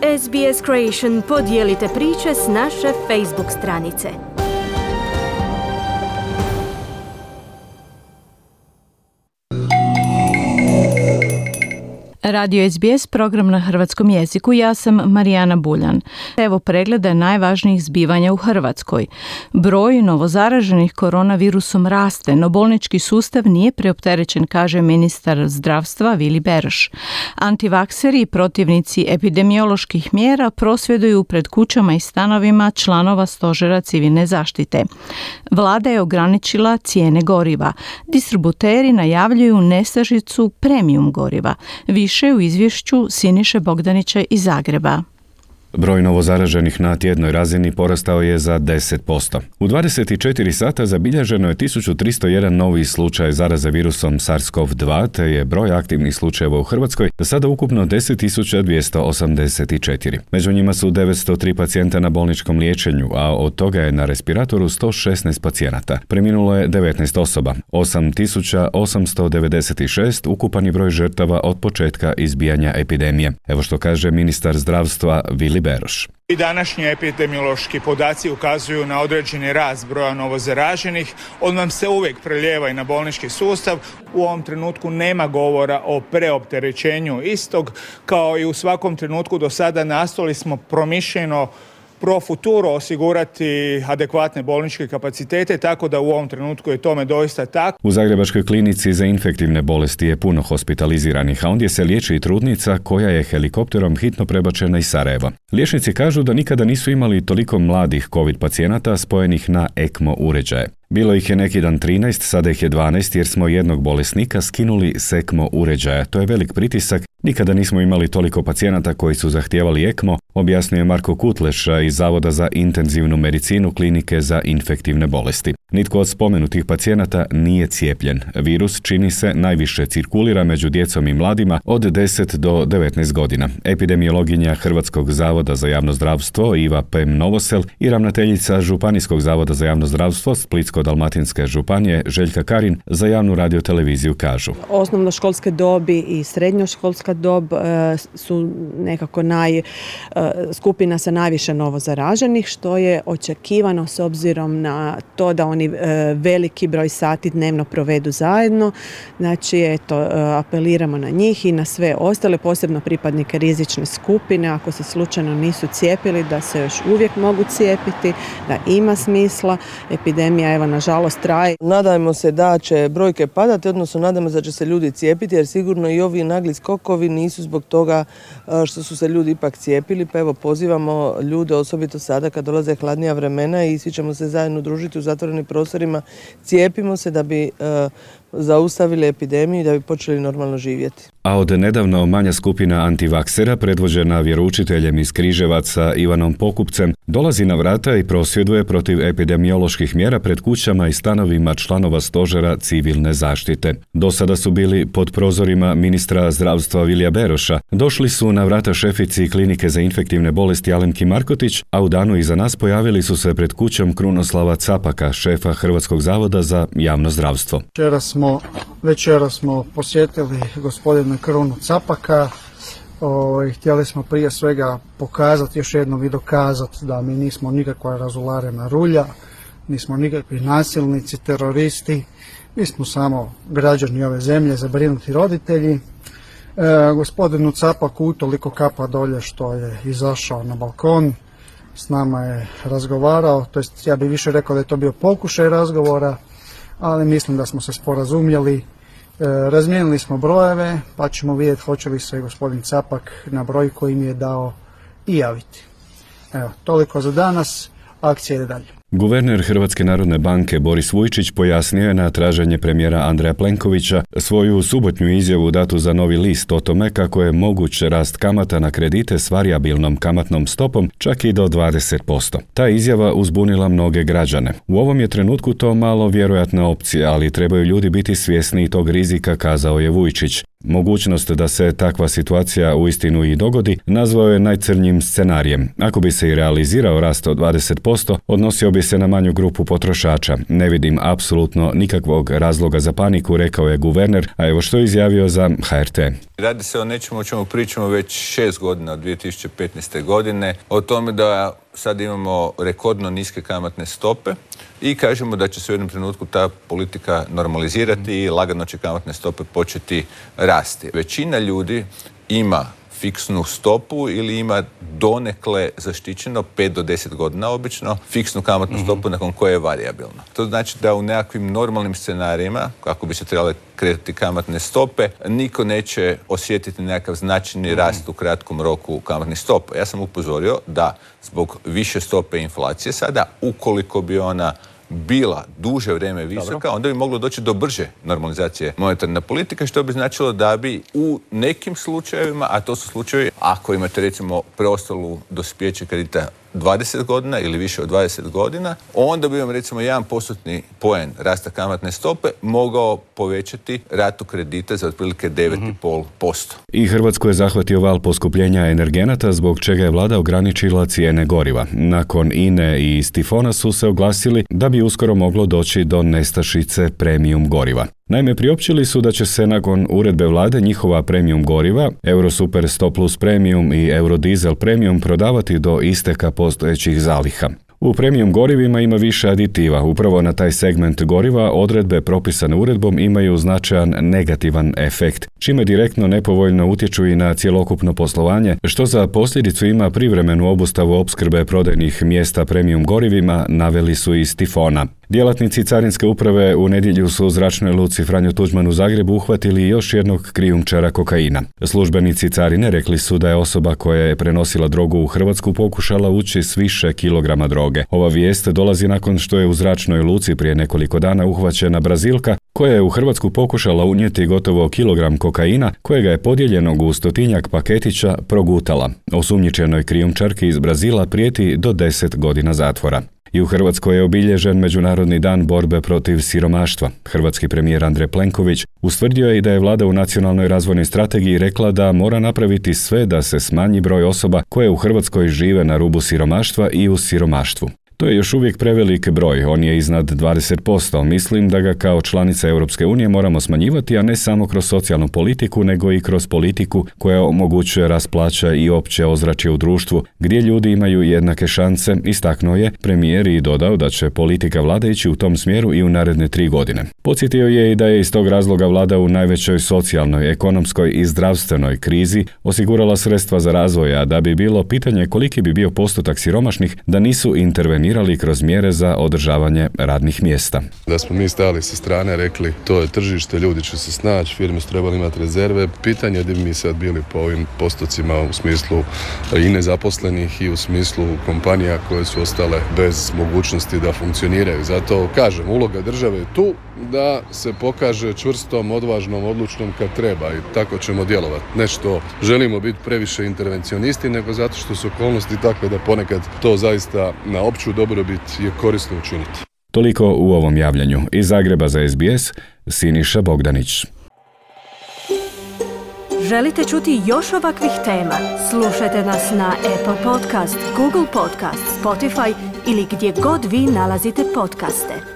SBS Creation, podijelite priče s naše Facebook stranice. Radio SBS, program na hrvatskom jeziku. Ja sam Marijana Buljan. Evo pregleda najvažnijih zbivanja u Hrvatskoj. Broj novozaraženih koronavirusom raste, no bolnički sustav nije preopterećen, kaže ministar zdravstva Vili Beroš. Antivakseri i protivnici epidemioloških mjera prosvjeduju pred kućama i stanovima članova Stožera civilne zaštite. Vlada je ograničila cijene goriva. Distributeri najavljuju nestašicu premium goriva. Više u izvješću Siniše Bogdanića iz Zagreba. Broj novozaraženih na tjednoj razini porastao je za 10%. U 24 sata zabilježeno je 1301 novi slučaj zaraze virusom SARS-CoV-2, te je broj aktivnih slučajeva u Hrvatskoj do sada ukupno 10.284. Među njima su 903 pacijenta na bolničkom liječenju, a od toga je na respiratoru 116 pacijenata. Preminulo je 19 osoba, 8.896 ukupani broj žrtava od početka izbijanja epidemije. Evo što kaže ministar zdravstva Vili Beroš. I današnji epidemiološki podaci ukazuju na određeni rast broja novozaraženih. On vam se uvijek prelijeva i na bolnički sustav. U ovom trenutku nema govora o preopterećenju istog. Kao i u svakom trenutku do sada nastojali smo promišljeno pro futuro osigurati adekvatne bolničke kapacitete, tako da u ovom trenutku je tome doista tako. U Zagrebačkoj klinici za infektivne bolesti je puno hospitaliziranih, a ondje se liječi i trudnica koja je helikopterom hitno prebačena iz Sarajeva. Liječnici kažu da nikada nisu imali toliko mladih COVID pacijenata spojenih na ECMO uređaje. Bilo ih je neki dan 13, sada ih je 12 jer smo jednog bolesnika skinuli s ECMO uređaja. To je velik pritisak. Nikada nismo imali toliko pacijenata koji su zahtijevali ECMO, objasnio je Marko Kutleš iz Zavoda za intenzivnu medicinu klinike za infektivne bolesti. Nitko od spomenutih pacijenata nije cijepljen. Virus, čini se, najviše cirkulira među djecom i mladima od 10 do 19 godina. Epidemiologinja Hrvatskog zavoda za javno zdravstvo Iva Pem Novosel i ravnateljica Županijskog zavoda za javno zdravstvo Splitsko-dalmatinske županije Željka Karin za javnu radioteleviziju kažu. Osnovnoškolske dobi i srednjoškolska dob su nekako skupina sa najviše novozaraženih, što je očekivano s obzirom na to da oni veliki broj sati dnevno provedu zajedno. Znači, apeliramo na njih i na sve ostale, posebno pripadnike rizične skupine, ako se slučajno nisu cijepili, da se još uvijek mogu cijepiti, da ima smisla. Epidemija, evo, nažalost, traje. Nadajmo se da će brojke padati, odnosno nadamo se da će se ljudi cijepiti, jer sigurno i ovi nagli skokovi nisu zbog toga što su se ljudi ipak cijepili, pa evo pozivamo ljude, osobito sada kad dolaze hladnija vremena i svi ćemo se zajedno družiti u zatvorenim prostorima, cijepimo se da bi zaustavili epidemiju i da bi počeli normalno živjeti. A od nedavno manja skupina antivaksera, predvođena vjeroučiteljem iz Križevaca Ivanom Pokupcem, dolazi na vrata i prosvjeduje protiv epidemioloških mjera pred kućama i stanovima članova Stožera civilne zaštite. Do sada su bili pod prozorima ministra zdravstva Vilija Beroša. Došli su na vrata šefici klinike za infektivne bolesti Alemki Markotić, a u danu iza nas pojavili su se pred kućom Krunoslava Capaka, šefa Hrvatskog zavoda za javno zdravstvo. Večera smo posjetili gospodina Krunu Capaka. Htjeli smo prije svega pokazati, još jednom i dokazati da mi nismo nikakva razularena rulja, nismo nikakvi nasilnici, teroristi, mi smo samo građani ove zemlje, zabrinuti roditelji. Gospodinu Capaku utoliko kapa dolje što je izašao na balkon, s nama je razgovarao, to jest ja bih više rekao da je to bio pokušaj razgovora, ali mislim da smo se sporazumjeli. Razmijenili smo brojeve, pa ćemo vidjeti hoće li se gospodin Capak na broj koji mi je dao i javiti. Evo, toliko za danas, akcija ide dalje. Guverner Hrvatske narodne banke Boris Vujčić pojasnio je na traženje premijera Andreja Plenkovića svoju subotnju izjavu datu za Novi list o tome kako je moguć rast kamata na kredite s varijabilnom kamatnom stopom čak i do 20%. Ta izjava uzbunila mnoge građane. U ovom je trenutku to malo vjerojatna opcija, ali trebaju ljudi biti svjesni tog rizika, kazao je Vujčić. Mogućnost da se takva situacija uistinu i dogodi nazvao je najcrnjim scenarijem. Ako bi se i realizirao rast od 20%, odnosio bi se na manju grupu potrošača. Ne vidim apsolutno nikakvog razloga za paniku, rekao je guverner, a evo što je izjavio za HRT. Radi se o nečemu o čemu pričamo već 6 godina od 2015. godine, o tome da sad imamo rekordno niske kamatne stope i kažemo da će se u jednom trenutku ta politika normalizirati i lagano će kamatne stope početi rasti. Većina ljudi ima fiksnu stopu ili ima donekle zaštićeno 5 do 10 godina obično fiksnu kamatnu stopu nakon koje je varijabilna. To znači da u nekakvim normalnim scenarijima, kako bi se trebale kretati kamatne stope, niko neće osjetiti nekakav značajni rast u kratkom roku kamatnih stopa. Ja sam upozorio da zbog više stope inflacije sada, ukoliko bi ona bila duže vrijeme visoka, onda bi moglo doći do brže normalizacije monetarne politike, što bi značilo da bi u nekim slučajevima, a to su slučajevi ako imate recimo preostalu dospjeće kredita 20 godina ili više od 20 godina, onda bi vam recimo 1% poen rasta kamatne stope mogao povećati ratu kredita za otprilike 9,5%. I Hrvatsku je zahvatio val poskupljenja energenata, zbog čega je vlada ograničila cijene goriva. Nakon INE i Stifona su se oglasili da bi uskoro moglo doći do nestašice premium goriva. Naime, priopćili su da će se nakon uredbe vlade njihova premium goriva, Eurosuper 100 Plus Premium i Eurodiesel Premium prodavati do isteka postojećih zaliha. U premium gorivima ima više aditiva. Upravo na taj segment goriva odredbe propisane uredbom imaju značajan negativan efekt, čime direktno nepovoljno utječu i na cjelokupno poslovanje, što za posljedicu ima privremenu obustavu opskrbe prodajnih mjesta premium gorivima, naveli su iz Tifona. Djelatnici Carinske uprave u nedjelju su u zračnoj luci Franjo Tuđman u Zagrebu uhvatili još jednog krijumčara kokaina. Službenici carine rekli su da je osoba koja je prenosila drogu u Hrvatsku pokušala ući s više kilograma droge. Ova vijest dolazi nakon što je u zračnoj luci prije nekoliko dana uhvaćena Brazilka koja je u Hrvatsku pokušala unijeti gotovo kilogram kokaina kojega je podijeljenog u 100-tinjak paketića progutala. Osumnjičenoj krijumčarki iz Brazila prijeti do 10 godina zatvora. I u Hrvatskoj je obilježen Međunarodni dan borbe protiv siromaštva. Hrvatski premijer Andrej Plenković ustvrdio je i da je vlada u nacionalnoj razvojnoj strategiji rekla da mora napraviti sve da se smanji broj osoba koje u Hrvatskoj žive na rubu siromaštva i u siromaštvu. To je još uvijek prevelik broj, on je iznad 20%. Mislim da ga kao članica Europske unije moramo smanjivati, a ne samo kroz socijalnu politiku, nego i kroz politiku koja omogućuje rast plaća i opće ozračje u društvu, gdje ljudi imaju jednake šanse, istaknuo je premijer i dodao da će politika vlade ići u tom smjeru i u naredne 3 godine. Podsjetio je i da je iz tog razloga vlada u najvećoj socijalnoj, ekonomskoj i zdravstvenoj krizi osigurala sredstva za razvoj, a da bi bilo pitanje koliki bi bio postotak siromašnih da nisu intervenirali kroz mjere za održavanje radnih mjesta. Da smo mi stali sa strane, rekli to je tržište, ljudi će se snaći, firme su trebali imati rezerve. Pitanje je da bi mi sad bili po ovim postocima u smislu i nezaposlenih i u smislu kompanija koje su ostale bez mogućnosti da funkcioniraju. Zato kažem, uloga države je tu da se pokaže čvrstom, odvažnom, odlučnom kad treba i tako ćemo djelovati. Ne što želimo biti previše intervencionisti, nego zato što su okolnosti takve da ponekad to zaista na opću dobrobit je korisno učiniti. Toliko u ovom javljanju. Iz Zagreba za SBS, Siniša Bogdanić. Želite čuti još ovakvih tema? Slušajte nas na Apple Podcast, Google Podcast, Spotify ili gdje god vi nalazite podcaste.